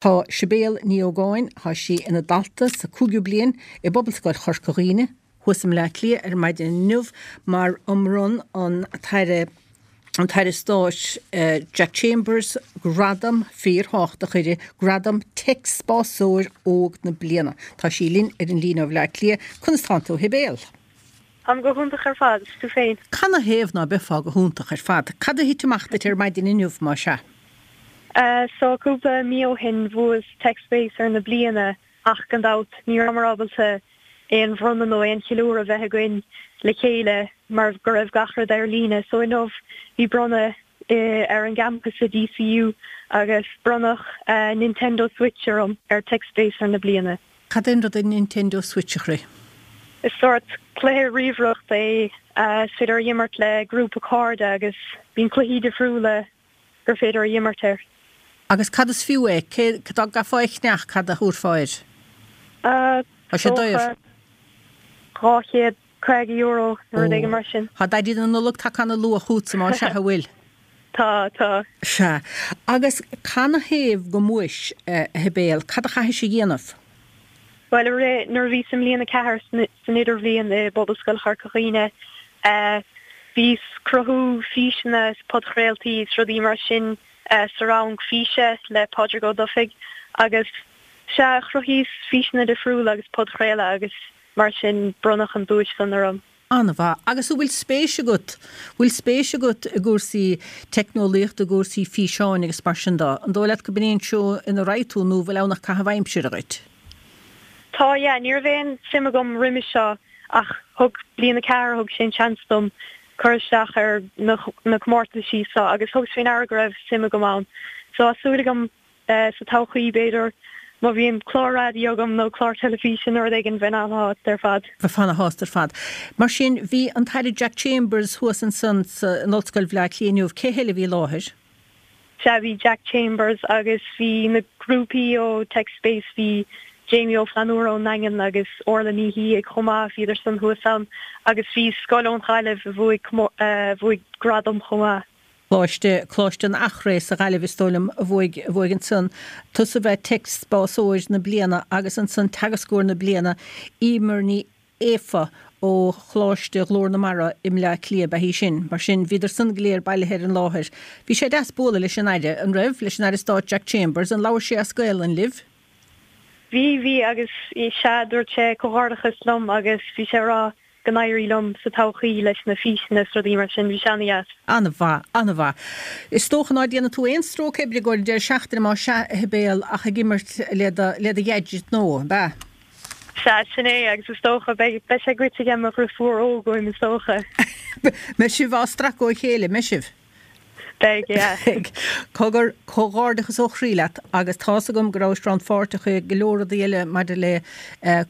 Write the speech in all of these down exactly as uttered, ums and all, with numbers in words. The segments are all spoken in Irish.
Tá Sibéal Ní Ógáin, tá sí ina dalta sa cúigiú bliain i bPobalscoil Chorca Dhuibhne, thuas i mBleá Cliath ar maidin inniu mar a mbronn an tAire an tAire Stáit Jack Chambers gradam fíorthábhachtach uirthi, gradam Tech-Spásóir Óg na Bliana. Tá sí linn ar an líne ó Bhleá Cliath. Conas tánn tú, a Shibéal? Táim go hiontach ar fad, is tú féin? Canathaobh ná beifeá go hiontach ar fad? Cad a thit amach duit ar maidin inniu, má sea? So cúpla mí ó shin bhuas TechSpacer na bliana ach gan dabht ní rabhamar ábalta aon bhronnadh nó aon cheiliúradh a bheith againn le chéile mar go raibh gach rud ar líne. So inniu bhí bronnadh ar an gcampas i DCU agus bronnadh Nintendo Switch orm ar TechSpacer na bliana. Cad é an rud é Nintendo Switch, a chroí? Is sórt cluiche ríomhaireachta é is féidir a imirt le grúpa cairde agus bíonn cluichí difriúla gur féidir a imirt air. Agus cad is fiú é? Cé, dá gcaithfeá é a cheannach, cad a thabharfá air? Tá sé daor. Dhá chéad caoga euro nó rud éigin mar sin. Tá Daidí na Nollag tagtha ana luath chugatsa más ea, an bhfuil? Tá, tá. Sea. Agus canathaobh go mbuais, a Shibéal? Cad a chaithis a dhéanamh? Bhuel, i rith, nuair a bhíos i mbliain a ceathair san idirbhliain i bPobalscoil Chorca Dhuibhne, bhíos cruthú físeanna is podchraoltaí is rudaí mar sin sa rang físe le Pádraig Ó Dufaigh agus sea, chruthaíos físeanna difriúla agus podchraoladh agus mar sin bronnadh an duais san orm. An-mhaith. Agus an bhfuil spéis agat, bhfuil spéis agat i gcúrsaí teicneolaíochta, i gcúrsaí físeáin agus mar sin de? An dóigh leat go b'in é an treo ina raghaidh tú nó bhfuil ann ach caitheamh aimsire dhuit? Tá, yeah. Ní raibh aon suim agam roimis seo ach thug bliain a ceathair, thug sé an seans dom cur isteach ar na na comórtaisí seo agus thugas faoi ndeara go raibh suim agam ann. So tá súil agam sa todhchaí b'fhéidir má bhíonn clár raidió agam nó clár teilifíse nó rud éigin bheinn an-shásta ar fad. Bheifeá ana-shásta ar fad. Mar sin bhí an tAire Jack Chambers thuas ansan in Ollscoil Bhaile Átha Cliath inniu. Cé heile a bhí i láthair? Sea, bhí Jack Chambers agus bhí na grúpaí ó TechSpace, bhí Jamie Ó Flannúra ón nDaingean agus Orla Ní Shíthigh chomh maith, bhíodar san thuas ann agus bhí scoil ón Ghaillimh a bhuaigh a bhuaigh gradam chomh maith. Coláiste, Coláiste an Eachréidh sa Ghaillimh is dóigh liom a bhuaigh, a bhuaigh ansan. Tusa a bhí Tech-Spásóir na Bliana agus ansan Teagascóir na Bliana, Emer Ní Aofa ó Choláiste Ghlór na Mara i mBleá Cliath ab ea í sin. Mar sin, bhíodar san go léir bailithe ar an láthair. Bhí sé deas bualadh leis an Aire, an raibh? Leis an Aire Stáit Jack Chambers. An labhair sé as Gaelainn libh? Bhí, bhí agus sea, dúirt sé comhghairdeachas liom agus bhí sé ag rá go n-éirí liom sa todhchaí leis na físeanna is rudaí mar sin. Bhí sé ana-dheas. Ana-mhaith, ana-mhaith. Is dócha ná déanann tú aon stróic oibre i gcomhair an deireadh seachtaine más ea, a Shibéal, ach ag imirt le do, le do gadget nua, ab ea? Sea, sin é, agus is dócha, beidh, beidh sé goidte ag mo dhriofúr óg uaim, is dócha. Beidh sibh á stracadh ó chéile, mbeidh sibh? Beidh, yeah. Beidh. Cogar, comhghairdeachas ó chroí leat, agus tá's agam go rabhais rannpháirteach i go leor rudaí eile maidir le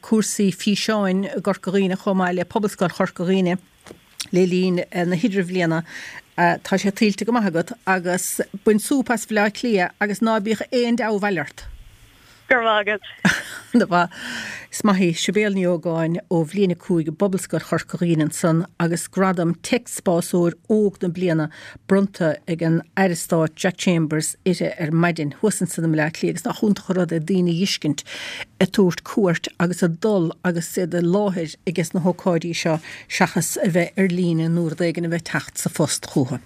cúrsaí físeáin i gCorca Dhuibhne chomh maith le Pobalscoil Chorca Dhuibhne. le linn na hidirbhliana. Tá sé tuillte go maith agat agus bain súp as Bhaile Átha Cliath agus ná bíodh aon deabhal ort! Go raibh maith agat. Ana-mhaith. Is maith í Sibéal Ní Ógáin ó Bhliain a cúig i bPobalscoil Chorca Dhuibhne ansan agus gradam Tech-Spásóir Óg na Bliana bronnta ag an Aire Stáit Jack Chambers uirthi ar maidin thuas ansan i mBleá Cliath agus nach iontach an rud é daoine a dh'fheiscint ag tabhairt cuairt agus ag dul agus iad i láthair ages na hócáidí seo seachas a bheith ar líne nó rud éigin a bheith ag teacht sa phost chucu.